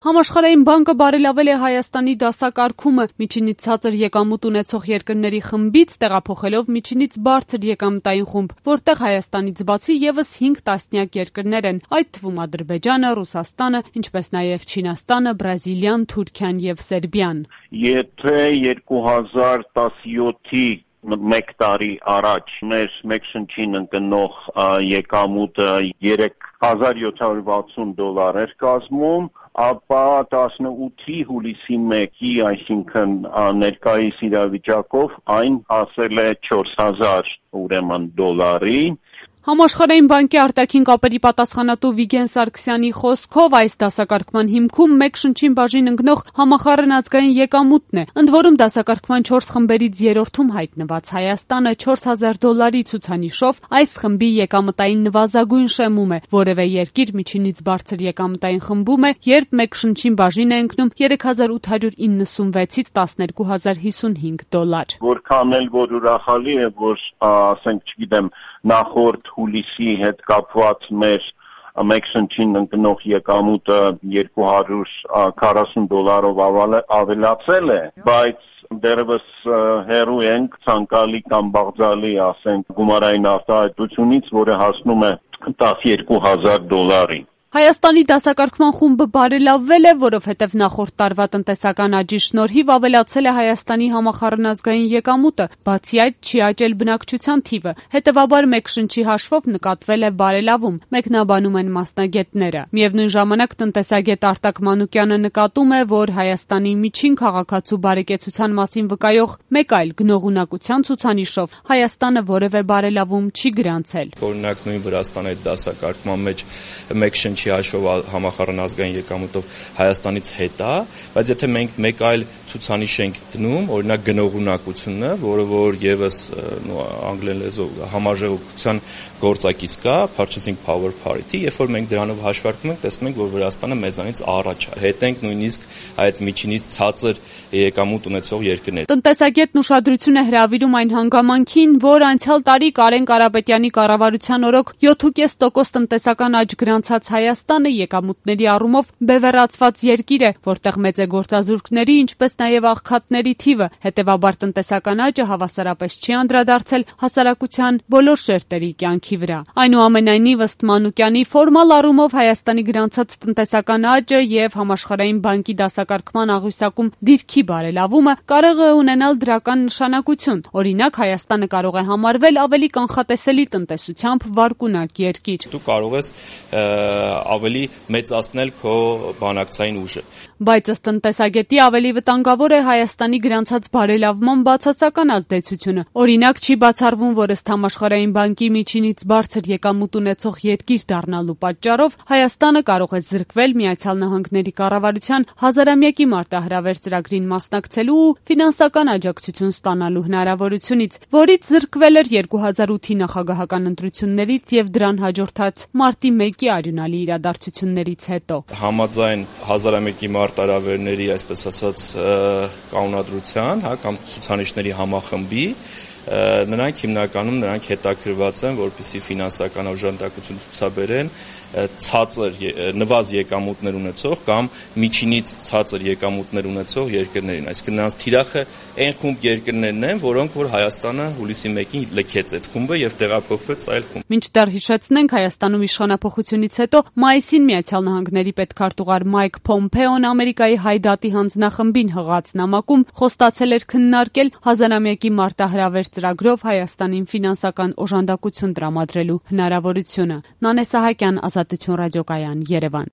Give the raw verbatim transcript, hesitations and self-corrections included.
Համաշխարհային բանկը բարելավել է Հայաստանի դասակարգումը միջինից ցածր եկամուտ ունեցող երկրների խմբից տեղափոխելով միջինից բարձր եկամտային խումբ, որտեղ Հայաստանից բացի ևս հինգ տասնյակ երկրներ են, այդ թվում Ադրբեջանը, Ռուսաստանը, ինչպես նաև Չինաստանը, Բրազիլիան, Թուրքիան եւ Սերբիան։ Եթե երկու հազար տասնյոթի մեկ տարի առաջ մեր մեկ շնչին ընկնող եկամուտը երեք հազար յոթ հարյուր վաթսուն դոլար էր կազմում, ապա տասնութի հուլիսի մեկի, այսինքն ներկայիս իրավիճակով այն հասել է չորս հազար ուրեմն դոլարի։ Համաշխարհային բանկի արտաքին կապերի պատասխանատու Վիգեն Սարգսյանի խոսքով այս դասակարգման հիմքում մեկ շնչին բաժին ընկնող համախառն ազգային եկամուտն է, ընդ որում դասակարգման չորս խմբերից երրորդում հայտնված Հայաստանը չորս հազար դոլարի ցուցանիշով այս խմբի եկամտային նվազագույն շեմում է, որևէ երկիր միջինից բարձր եկամտային խմբում է, երբ մեկ շնչին բաժին է ընկնում երեք հազար ութ հարյուր իննսունվեցից տասներկու հազար հիսունհինգ դոլար։ Որքան էլ որ ուրախալի է, որ ասենք, չգիտեմ, նախորդ հուլիսի հետ կապված մեր մեկ շնչին ընկնող եկամուտը երկու հարյուր քառասուն դոլարով ավելացել է, բայց դեռևս հեռու ենք ցանկալի կամ բաղձալի, ասենք, գումարային արտահայտությունից, որը հասնում է տասներկու հազար դոլարի։ Հայաստանի դասակարգման խումբը բարելավվել է, որովհետև նախորդ տարվա տնտեսական աճի շնորհիվ ավելացել է Հայաստանի համախառն ազգային եկամուտը, բացի այդ չի աճել բնակչության թիվը, հետևաբար մեկ շնչի հաշվով նկատվել է բարելավում, մեկնաբանում են մասնագետները։ Միևնույն ժամանակ տնտեսագետ Արտակ Մանուկյանը նկատում է, որ Հայաստանի միջին քաղաքացու բարեկեցության մասին վկայող մեկ այլ գնողունակության ցուցանիշով Հայաստանը որևէ բարելավում չի գրանցել։ Օրինակ նույն Վրաստանի դասակարգման մեջ մեկ շնչ հաշվով համախառն ազգային եկամուտով Հայաստանից հետ է, բայց եթե մենք մեկ այլ ցուցանիշ ենք դնում, օրինակ գնողունակությունը, որը որ եւս անգլերեն լեզվով համաժողովության գործակից կա, purchasing power parity, երբ որ մենք դրանով հաշվարկում ենք, տեսնում ենք, որ Վրաստանը մեզանից առաջ է, հետ ենք նույնիսկ այդ միջինից ցածր եկամուտ ունեցող երկրներ։ Տնտեսագետն ուշադրություն է հրավիրում այն հանգամանքին, որ անցյալ տարի Կարեն Կարապետյանի կառավարության օրոք յոթ կόμμα պենս տոկոս տնտեսական աճ գրանցած Հայաստանը եկամուտների առումով բևեռացված երկիր է, որտեղ մեծ է գործազուրկների, ինչպես նաև աղքատների թիվը, հետևաբար տնտեսական աճը հավասարապես չի անդրադարձել հասարակության բոլոր շերտերի կյանքի վրա։ Այնուամենայնիվ, ըստ Մանուկյանի, ֆորմալ առումով Հայաստանի գրանցած տնտեսական աճը եւ Համաշխարհային բանկի դասակարգման աղյուսակում դիրքի բարելավումը կարող է ունենալ դրական նշանակություն։ Օրինակ, Հայաստանը կարող է համարվել ավելի կանխատեսելի տնտեսությամբ վարկունակ երկիր։ Դու կարող ես ավելի մեծացնել քո բանակցային ուժը։ Բայց ըստ տնտեսագետի ավելի վտանգավոր է Հայաստանի գրանցած բարելավման բացասական ազդեցությունը։ Օրինակ, չի բացառվում, որ ըստ Համաշխարհային բանկի միջինից բարձր եկամուտ ունեցող երկիր դառնալու պատճառով Հայաստանը կարող է զրկվել Միացյալ Նահանգների կառավարության հազարամյակի մարտահրավեր ծրագրին մասնակցելու ու ֆինանսական աջակցություն ստանալու հնարավորությունից, որից զրկվել էր երկու հազար ութի նախագահական ընտրություններից եւ դրան հաջորդած մարտի մեկի արյունալի իրադարձություններից հետո։ Համաձայն հազարամյակի մարտահրավերների, այսպես ասած, կանոնադրության, հա, կամ ցուցանիշների համախմբի, նրանք հիմնականում նրանք հետաքրված են, որպեսզի ֆինանսական օժանդակություն ցուցաբերեն ցածր նվազ եկամուտներ ունեցող կամ միջինից ցածր եկամուտներ ունեցող երկրներին, այսինքն նրանց թիրախը այն խումբ երկրներն են, որոնք որ Հայաստանը հուլիսի մեկին լքեց այդ խումբը եւ տեղափոխվեց այլ խումբ։ Մինչդեռ հիշեցնենք, Հայաստանում իշխանափոխությունից հետո մայիսին Միացյալ Նահանգների պետքարտուղար Մայք Փոմփեոն Ամերիկայի հայդատի հանձնախմբին հղած նամակում խոստացել էր քննարկել հազարամյակի մարտահրավեր ծրագրով Հայաստանին ֆինանսական օժանդակություն տրամադրելու հնարավորությունը։ Նանե Սահակյան, Ազատություն ռադիոկայան, Երևան։